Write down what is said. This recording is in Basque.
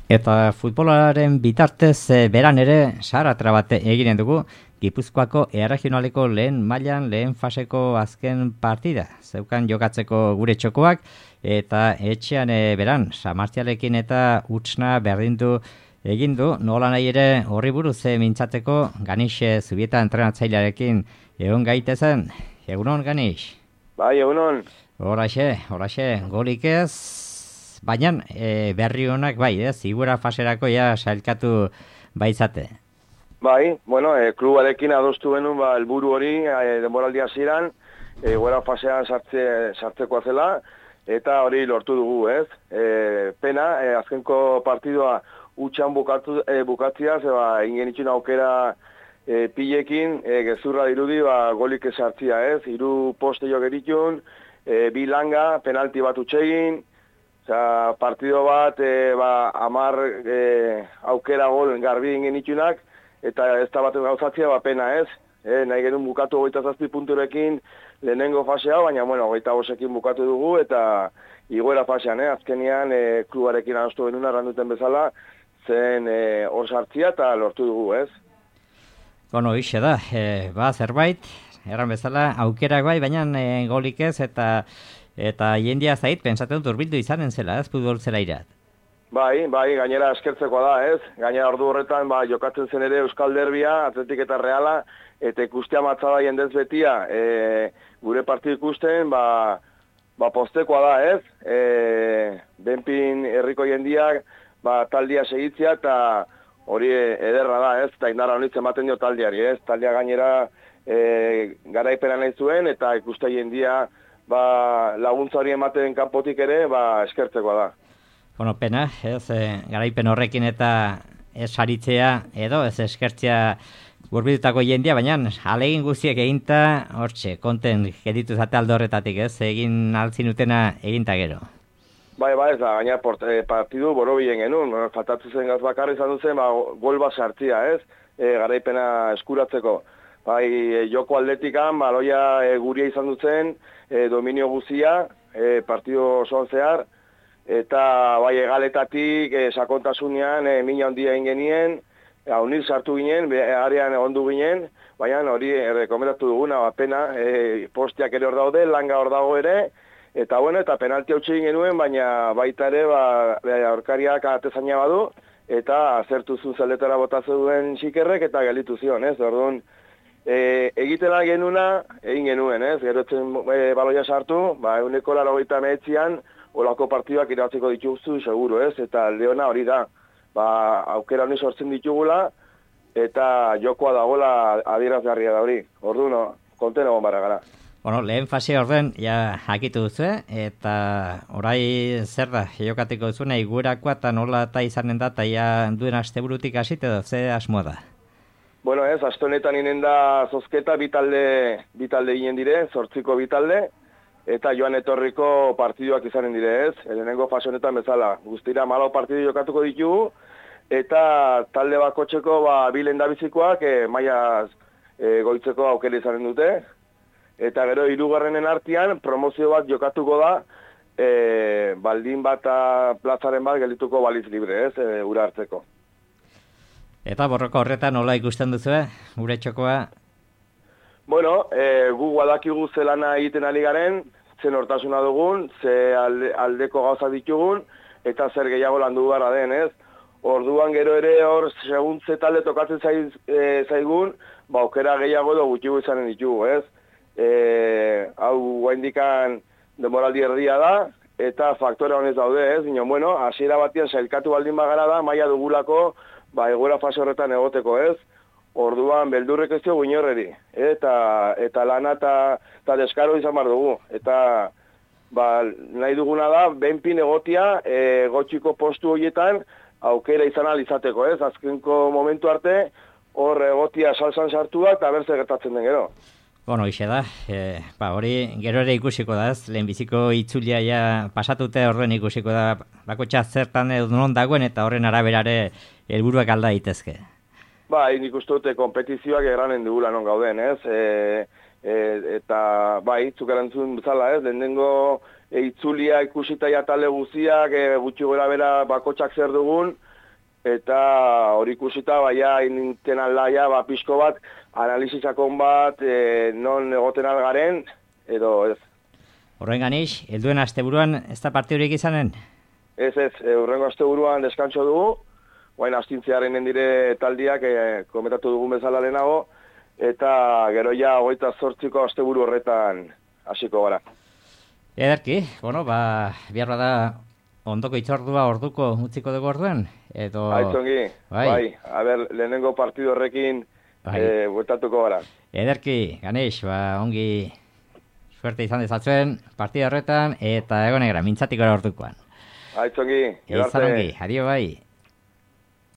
Eta futbolaren bitartez beran ere saratra bat eginen dugu Gipuzkoako erregionaleko lehen mailan lehen faseko azken partida. Zeukan jokatzeko gure txokoak eta etxean beran Samartialekin eta Utsna berdindu egin du. Nola nahi ere horri buruz mintzateko Ganixe Zubieta entrenatzailearekin egon gaitezen. Egunon, Ganix? Bai, egunon. Horaxe, golik ez. Baina berri honak bai, zigura faserako ja sailkatu baitzate. Bai, bueno, klubarekin adostu genuen helburu hori denboraldi hasieran, gora fasean sartzeko zela, eta hori lortu dugu, ez? Pena, azkenko partidua utxan bukatzia, zeba ingenitxun aukera pilekin, gezurra dirudi, golik sartzia, ez? 3 poste jo geritxun, 2 langa, penalti bat utxegin, partido bat, 10 aukera gol garbi ingenitxunak, eta ez da bat gauzatzia, pena ez. Nahi genuen bukatu 27 punturekin lehenengo fasea, baina, bueno, 25ekin bukatu dugu, eta igoera fasean, azkenian klubarekin adostu genuen arranduten bezala, zen hor sartzia eta lortu dugu, ez. Bueno, ixe da, zerbait, erran bezala, aukerak bai, baina golik ez, eta jendia zait, pensatzen dut urbildu izanen zela, ez, futbol zela irat. Bai, gainera eskertzeko da, ez? Gainera ordu horretan, jokatzen zen ere Euskal Derbia, Atletik eta Reala, eta ikustea matzada jendez betia, gure partidu ikusten, postekoa da, ez? Benpin herriko jendiak, taldia segitzia, eta hori ederra da, ez? Eta indarra honitzen ematen dio taldiari, ez? Taldia gainera garaipena nahi zuen, eta ikuste jendia, laguntza hori ematen kanpotik ere, eskertzekoa da. Bueno, pena, ez, garaipen horrekin eta ez saritzea edo, ez eskertzea gurbitutako jendia, baina alegin guztiek eginta, hortxe, konten geditu zate aldo horretatik, ez, egin altzin utena eginta gero. Bai, ez da, gaina partidu borobien genuen, faltatu zen gaz bakarri izan duzen, gol bat sartzia, ez, garaipena eskuratzeko. Bai, joko atletikan, baloia guria izan dutzen, dominio guzia, partidu osoan zehar, eta bai egaletatik, sakontasunean, mina handia ingenien, haunil sartu ginen, arean ondu ginen, baina hori rekomendatu duguna, pena, postiak ere hor daude, langa hor dago ere, eta bueno, eta penalti hau txegin genuen, baina baita ere, aurkariak atezaina badu, eta azertu zuen zeletara botatzen duen xikerrek, eta gelitu zion, ez, orduan, egitela genuna, egin genuen, ez? Gerotzen baloia sartu, 189an olako partiduak irabatzeko dituzu, seguru, ez? Eta leona hori da, aukera honi sortzen ditugula, eta jokoa dagoela adierazgarria da hori. Orduan, konten egon barra gara. Bueno, lehen fase orden, ja hakitu duzu, eta orai zer da, jokatiko duzuna, iguerakoa eta nola eta izanen da, eta ja duen asteburutik hasit edo, ze asmoa da? Bueno, ez, aste honetan inen da zozketa bitalde ginen dire, 8 bitalde, eta joan etorriko partiduak izanen dire, ez? Lehenengo fase honetan bezala, guztira 14 partidu jokatuko ditugu, eta talde bakotxeko 2 lehendabizikoak mailaz goitzeko aukera izanen dute, eta gero 3. artean promozio bat jokatuko da, baldin bat plazaren bat geldituko baliz libre, ez, ura hartzeko. Eta borroko horretan nola ikusten duzu, gure txokoa? Bueno, gu guadakigu zelana egiten ari garen, zen hortasuna dugun, ze aldeko gauza ditugun, eta zer gehiago landu gara den, ez? Orduan gero ere hor, segun ze talde tokatzen zaigun, aukera gehiago edo gutxigu izanen ditugu, ez? Hau guaindikan denboraldi erdia da, eta faktore honez daude, ez? Bino, bueno, hasiera batian sailkatu baldin bagara da, maila dugulako, egoera fase horretan egoteko, ez? Orduan, beldurrek ez diogu inorreri. Eta lana eta deskaro izan bar dugu. Eta nahi duguna da, benpin egotia, gotxiko postu horietan, aukera izan alizateko, ez? Azkenko momentu arte, hor egotia salsan sartu da, eta berze gertatzen den gero. Bueno, ixe da, hori gero ere ikusiko da, ez? Lehenbiziko itzulia ja pasatute horren ikusiko da, bakotxa zertan edo non dagoen, eta horren araberare helburuak alda daitezke. Nik uste dute kompetizioak eranen dugula non gauden, ez? Eta zuk erantzun bezala, ez? Lehenengo itzulia ikusita ja talde guztiak, gutxi gora bera bakotxak zer dugun, eta hori ikusita, baina inten aldaia, pixko bat, analizizakon bat, non egoten algaren, edo ez. Horren ganix, helduen asteburuan ez da partidurik izanen? Ez, hurrengo asteburuan deskantxo dugu, guain astintzearen dire taldiak komentatu dugun bezala lehenago, eta gero ja 28ko asteburu horretan hasiko gara. Ederki, biharra da ondoko itzordua orduko utziko dugu orduan? Aitzongi, bai, lehenengo partidu horrekin bueltatuko gara. Ederki, Ganeix, ongi suerte izan dezatzen partida horretan, eta egonegara, mintzatiko ordukoan. Aitzongi, edarte. Adio bai.